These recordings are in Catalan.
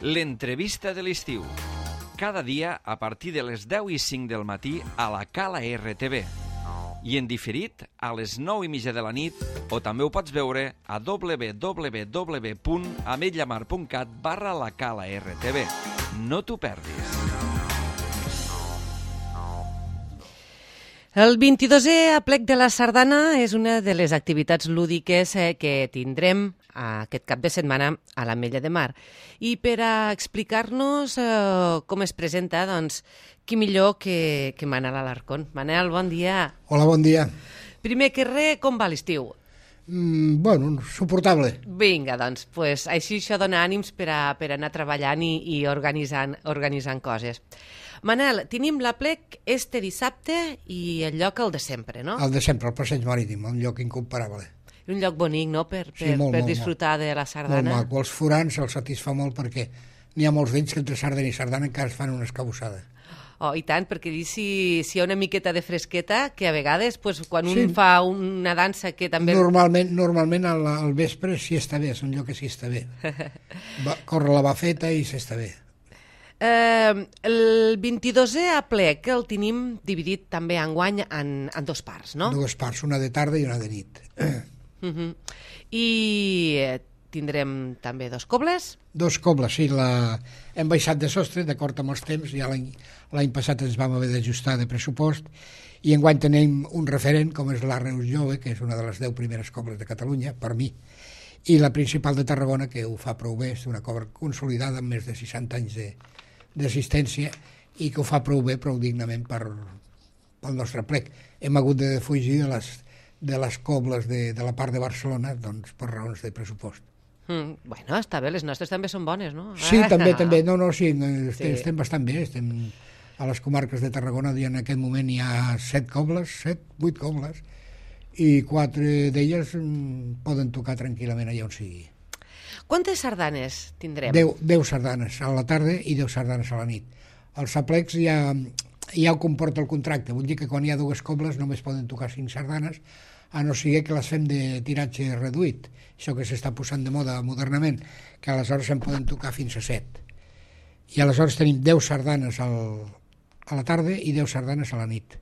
L'entrevista de l'estiu. Cada dia a partir de les 10:05 del matí a la Cala RTV. I en diferit a les 9:30 de la nit, o també ho pots veure a www.ametlllamar.cat/la Cala RTV. No t'ho perdis. El 22è aplec de la Sardana és una de les activitats lúdiques que tindrem aquest cap de setmana a l'Ametlla de Mar. I per a explicar-nos com es presenta, doncs, qui millor que Manel Alarcón. Manel, bon dia. Hola, bon dia. Primer que res, com va l'estiu? Bueno, suportable. Vinga, doncs, així això dona ànims per anar treballant i organitzant coses. Manel, tenim l'aplec este dissabte i el lloc el de sempre, no? El de sempre, el Passeig Marítim, un lloc incomparable. Un lloc bonic, no?, per disfrutar de la sardana. Molt maco. Els forans se'ls satisfà molt perquè n'hi ha molts d'ells que entre sardana i sardana encara es fan una escabussada. Oh, i tant, perquè si hi ha una miqueta de fresqueta, que a vegades, quan un fa una dansa que també... Normalment al vespre sí està bé, és un lloc que sí està bé. Corre la bafeta i s'està bé. El 22è aplec el tenim dividit també enguany en dues parts, no? Dues parts, una de tarda i una de nit. I tindrem també dos cobles? Dos cobles, sí. Hem baixat de sostre, d'acord amb els temps, ja l'any passat ens vam haver d'ajustar de pressupost, i enguany tenim un referent, com és la Reus Jove, que és una de les 10 primeres cobles de Catalunya, per mi, i la principal de Tarragona, que ho fa prou bé, és una cobla consolidada amb més de 60 anys d'assistència i que ho fa prou bé, prou dignament pel nostre plec. Hem hagut de defugir de les cobles de la part de Barcelona, doncs, per raons de pressupost. Bueno, està bé, les nostres també són bones, no? Sí, també. Sí, estem bastant bé, estem a les comarques de Tarragona, i en aquest moment hi ha 8 cobles, i 4 d'elles poden tocar tranquil·lament allà on sigui. Quantes sardanes tindrem? 10 sardanes a la tarda i 10 sardanes a la nit. Els aplecs ja ho comporta el contracte, vull dir que quan hi ha 2 cobles només poden tocar 5 sardanes, a no sigui que les fem de tiratge reduït, això que s'està posant de moda modernament, que aleshores en poden tocar fins a 7. I aleshores tenim 10 sardanes a la tarda i 10 sardanes a la nit.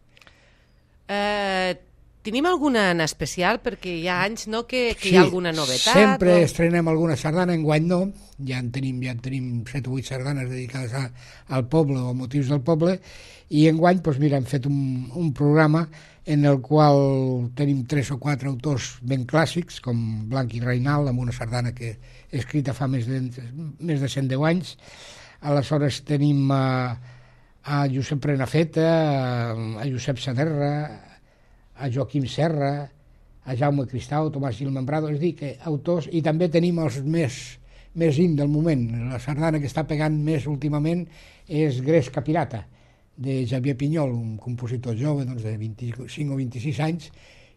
Tenim alguna en especial? Perquè hi ha anys, no?, que hi ha alguna novetat. Sempre estrenem alguna sardana, enguany no, ja en tenim 7 o 8 sardanes dedicades al poble o a motius del poble, i enguany, doncs mira, hem fet un programa en el qual tenim 3 o 4 autors ben clàssics, com Blanc i Reinal, amb una sardana que he escrita fa més de 110 anys. Aleshores tenim a Josep Prenafeta, a Josep Saderra, a Joaquim Serra, a Jaume Cristau, Tomàs Gil Membrado, és a dir, que autors, i també tenim els més in del moment. La sardana que està pegant més últimament és Gresca Pirata, de Xavier Pinyol, un compositor jove, doncs, de 25 o 26 anys,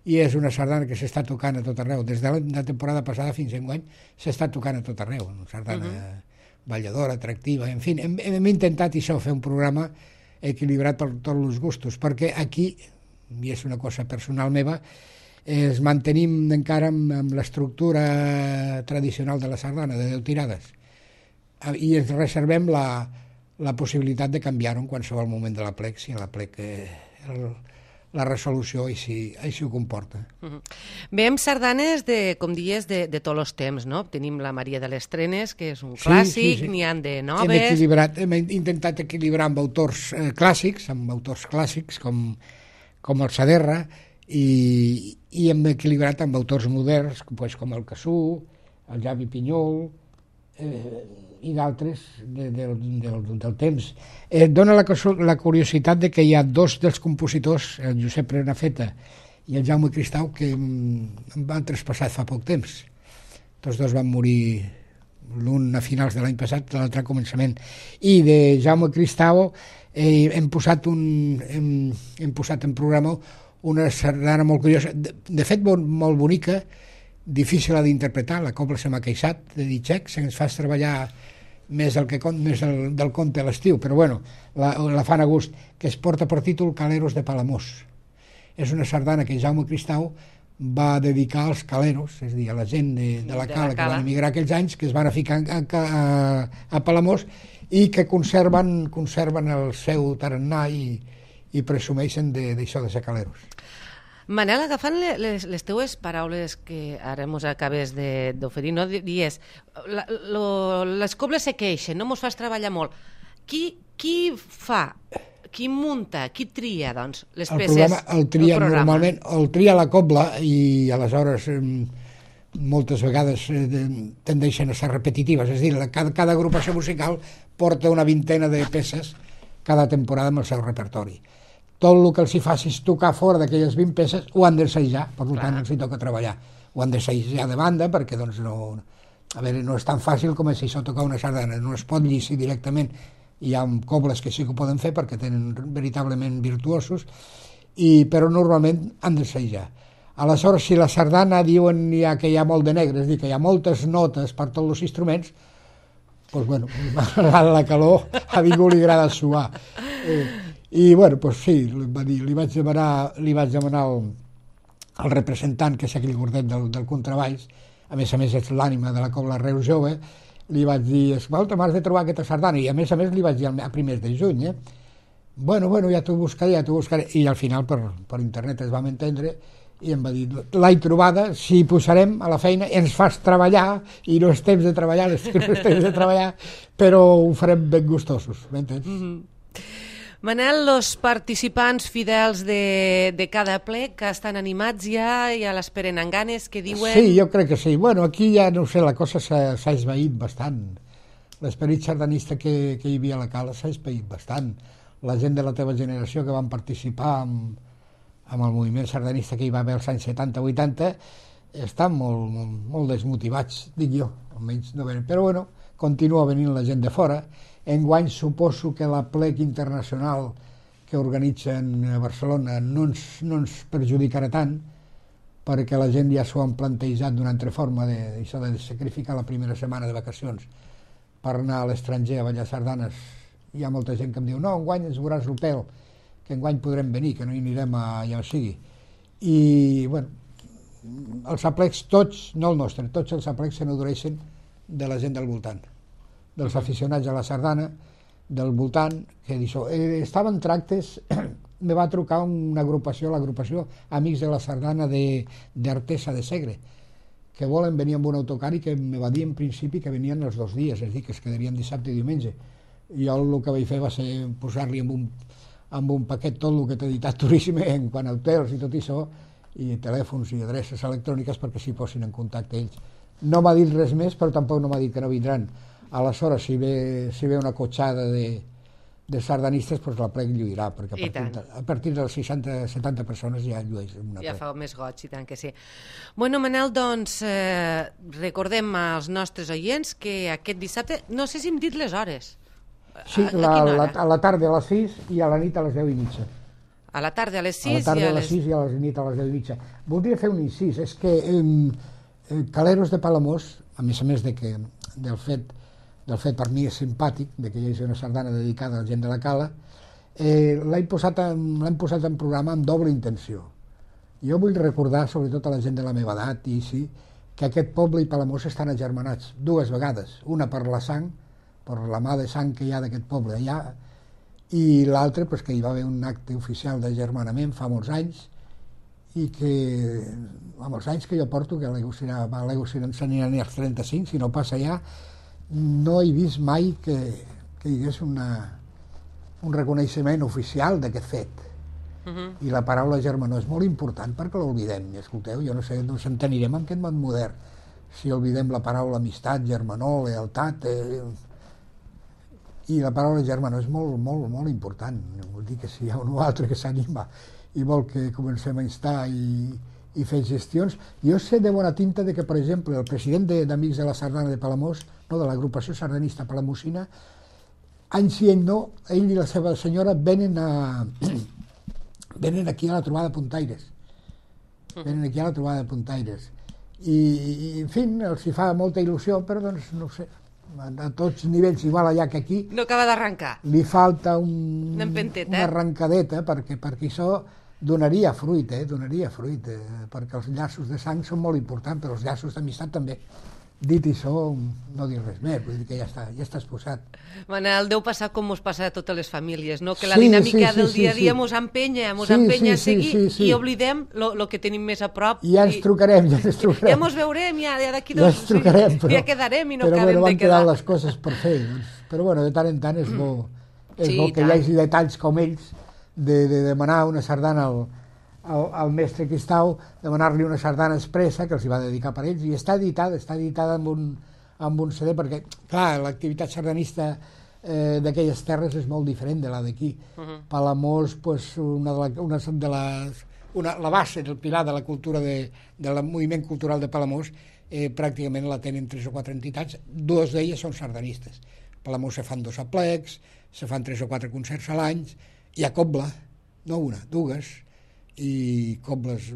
i és una sardana que s'està tocant a tot arreu. Des de la temporada passada fins a enguany s'està tocant a tot arreu, una sardana balladora, atractiva, en fi, hem intentat això, fer un programa equilibrat per tots els gustos, perquè aquí, i és una cosa personal meva, es mantenim encara amb l'estructura tradicional de la sardana, de 10 tirades, i ens reservem la possibilitat de canviar-ho en qualsevol moment de l'aplec, si l'aplec la resolució així ho comporta. Veiem sardanes, com dies, de tots els temps, no? Tenim la Maria de les Trenes, que és un clàssic, n'hi ha de noves... Hem intentat equilibrar amb autors clàssics, com el Saderra, i hem equilibrat amb autors moderns, com el Cassú, el Javi Pinyol, i d'altres del temps. Dóna la curiositat de que hi ha 2 dels compositors, el Josep Prenafeta i el Jaume Cristau, que em van traspassar fa poc temps. Tots 2 van morir, l'un a finals de l'any passat, l'altre a començament. I de Jaume Cristau hem posat en programa una sardana molt curiosa, de fet molt bonica, difícil d'interpretar, la cobla se m'ha queixat, de dir xec, se'ns fa treballar més del conte a l'estiu, però bueno, la fan a gust, que es porta per títol Caleros de Palamós. És una sardana que Jaume Cristau va dedicar als caleros, és a dir, a la gent de la Cala que van emigrar aquells anys, que es van a ficar a Palamós i que conserven el seu tarannà i presumeixen d'això de ser caleros. Manel, agafant les teues paraules que ara mos acabes d'oferir, no? Dies, les cobles se queixen, no mos fas treballar molt. Qui fa, qui munta, qui tria, doncs, les peces? El tria normalment, el tria la cobla i aleshores moltes vegades tendeixen a ser repetitives, és a dir, cada agrupació musical porta una vintena de peces cada temporada amb el seu repertori. Tot el que els hi facis tocar fora d'aquelles 20 peces ho han d'assajar, per tant els hi toca treballar. Ho han d'assajar de banda perquè doncs, no és tan fàcil com si això tocar una sardana, no es pot llicir directament. Hi ha cobles que sí que ho poden fer perquè tenen veritablement virtuosos, però normalment han d'assajar. Aleshores, si la sardana diuen que hi ha molt de negre, és a dir, que hi ha moltes notes per tots els instruments, doncs, bueno, la calor a ningú li agrada suar. I, bueno, doncs sí, li vaig demanar al representant, que és aquell gordet del contrabaix, a més és l'ànima de la cobla Reus Jove, li vaig dir, escolta, m'has de trobar aquesta sardana, i a més li vaig dir a primers de juny, bueno, ja t'ho buscaré, i al final per internet es vam entendre, i em va dir, l'he trobada, si posarem a la feina, ens fas treballar, i no és temps de treballar, però ho farem ben gustosos, m'entens? Manel, els participants fidels de cada ple que estan animats ja l'esperen amb ganes, que diuen... Sí, jo crec que sí. Bueno, aquí ja, no sé, la cosa s'ha esvaït bastant. L'esperit sardanista que hi havia a la Cala s'ha esvaït bastant. La gent de la teva generació que van participar amb el moviment sardanista que hi va haver als anys 70-80 estan molt desmotivats, dic jo, almenys no venen. Però bueno, continua venint la gent de fora. Enguany suposo que la plec internacional que organitzen a Barcelona no ens perjudicarà tant, perquè la gent ja s'ho han plantejat d'una altra forma, d'això de sacrificar la primera setmana de vacacions per anar a l'estranger a ballar sardanes. Hi ha molta gent que em diu, no, enguany ens veuràs el pèl, que enguany podrem venir, que no hi anirem allà on sigui. I, bueno, els aplecs tots, no el nostre, tots els aplecs se n'adoreixen de la gent del voltant, dels aficionats a la sardana, del voltant, que d'això. Estaven tractes, me va trucar una agrupació, l'agrupació Amics de la Sardana d'Artesa de Segre, que volen venir amb un autocar i que me va dir en principi que venien els 2 dies, és a dir, que es quedarien dissabte i diumenge. I jo el que vaig fer va ser posar-li amb un paquet tot el que t'ha editat Turisme en quant a hotels i tot això, i telèfons i adreces electròniques perquè s'hi posin en contacte ells. No m'ha dit res més, però tampoc no m'ha dit que no vindran. Aleshores, si ve una cotxada de sardanistes, doncs la plec lluirà, perquè a partir de les 60-70 persones ja llueix una plec. Ja fa més goig, i tant que sí. Bueno, Manel, doncs, recordem als nostres oients que aquest dissabte, no sé si hem dit les hores. Sí, a la tarda a les 6 i a la nit a les 10:30. A la tarda a les 6 i a les 6 i a la nit a les 10:30. Voldria fer un incís, és que Caleros de Palamós, a més del fet per mi és simpàtic, que hi hagi una sardana dedicada a la gent de la Cala, l'hem posat en programa amb doble intenció. Jo vull recordar, sobretot a la gent de la meva edat, que aquest poble i Palamós estan agermanats 2 vegades, una per la sang, per la mà de sang que hi ha d'aquest poble allà, i l'altre que hi va haver un acte oficial d'agermanament fa molts anys, i que amb els anys que jo porto, que l'Ego s'aniran als 35, si no passa ja, no he vist mai que hi hagués un reconeixement oficial d'aquest fet. I la paraula germanor és molt important perquè l'oblidem. I escolteu, jo no sé, no ens entenirem en aquest món modern si oblidem la paraula amistat, germanor, lealtat. I la paraula germanor és molt, molt, molt important. Vull dir que si hi ha un o altre que s'anima i vol que comencem a instar i fer gestions. Jo sé de bona tinta que, per exemple, el president d'Amics de la Sardana de Palamós, no, de l'agrupació sardanista palamosina, any sí, any no, ell i la seva senyora venen aquí a la trobada de puntaires. I, en fi, els hi fa molta il·lusió, però, doncs, no sé, a tots nivells, igual allà que aquí... No acaba d'arrencar. Li falta una arrencadeta, perquè això donaria fruit, perquè els llaços de sang són molt importants, però els llaços d'amistat també. Dit això, no dir res més, vull dir que ja està exposat. Manel, deu passar com mos passa a totes les famílies, no? Que la dinàmica del dia a dia mos empenya a seguir i oblidem el que tenim més a prop. I ja ens trucarem. Ja mos veurem, ja d'aquí ja ens trucarem, ja quedarem i no acabem de quedar. Però van quedar les coses per fer. Però bueno, de tant en tant és bo que hi hagi detalls com ells de demanar una sardana al mestre Quistau, demanar-li una sardana expressa que els hi va dedicar per ells, i està editada amb un CD, perquè, clar, l'activitat sardanista d'aquelles terres és molt diferent de la d'aquí. Palamós, la base, el pilar de la cultura del moviment cultural de Palamós, pràcticament la tenen 3 o 4 entitats, 2 d'elles són sardanistes. A Palamós se fan 2 aplecs, se fan 3 o 4 concerts a l'any, hi ha cobla, no una, 2, i cobles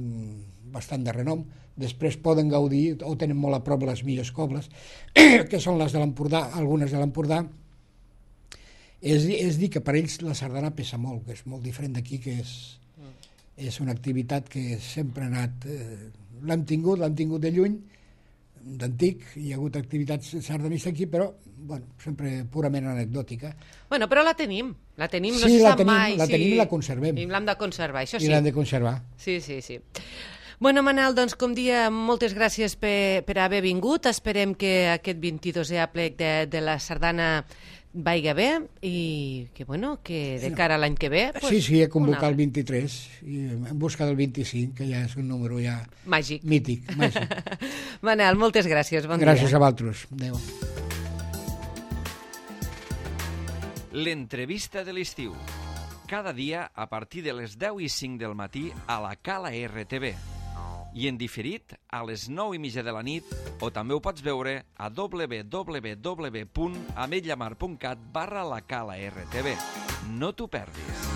bastant de renom. Després poden gaudir, o tenen molt a prop les millors cobles, que són les de l'Empordà, algunes de l'Empordà. És dir que per ells la sardana pesa molt, que és molt diferent d'aquí, que és una activitat que sempre ha anat... L'hem tingut de lluny, d'antic, hi ha hagut activitats sardanistes aquí, però sempre purament anecdòtica. Bueno, però la tenim, no se sap mai. La tenim i la conservem. I l'hem de conservar, això sí. I l'hem de conservar. Sí. Bueno, Manel, doncs, com dia, moltes gràcies per haver vingut. Esperem que aquest 22è aplec de la sardana vaiga bé i que de cara a l'any que ve... Sí, he convocat el 23 i en busca del 25, que ja és un número ja... Màgic. Mític, màgic. Manel, moltes gràcies, bon dia. Gràcies a vosaltres. Adéu. L'entrevista de l'estiu. Cada dia a partir de les 10:05 del matí a la Cala RTV. I en diferit a les 9:30 de la nit, o també ho pots veure a www.ametlllamar.cat/la Cala RTV. No t'ho perdis.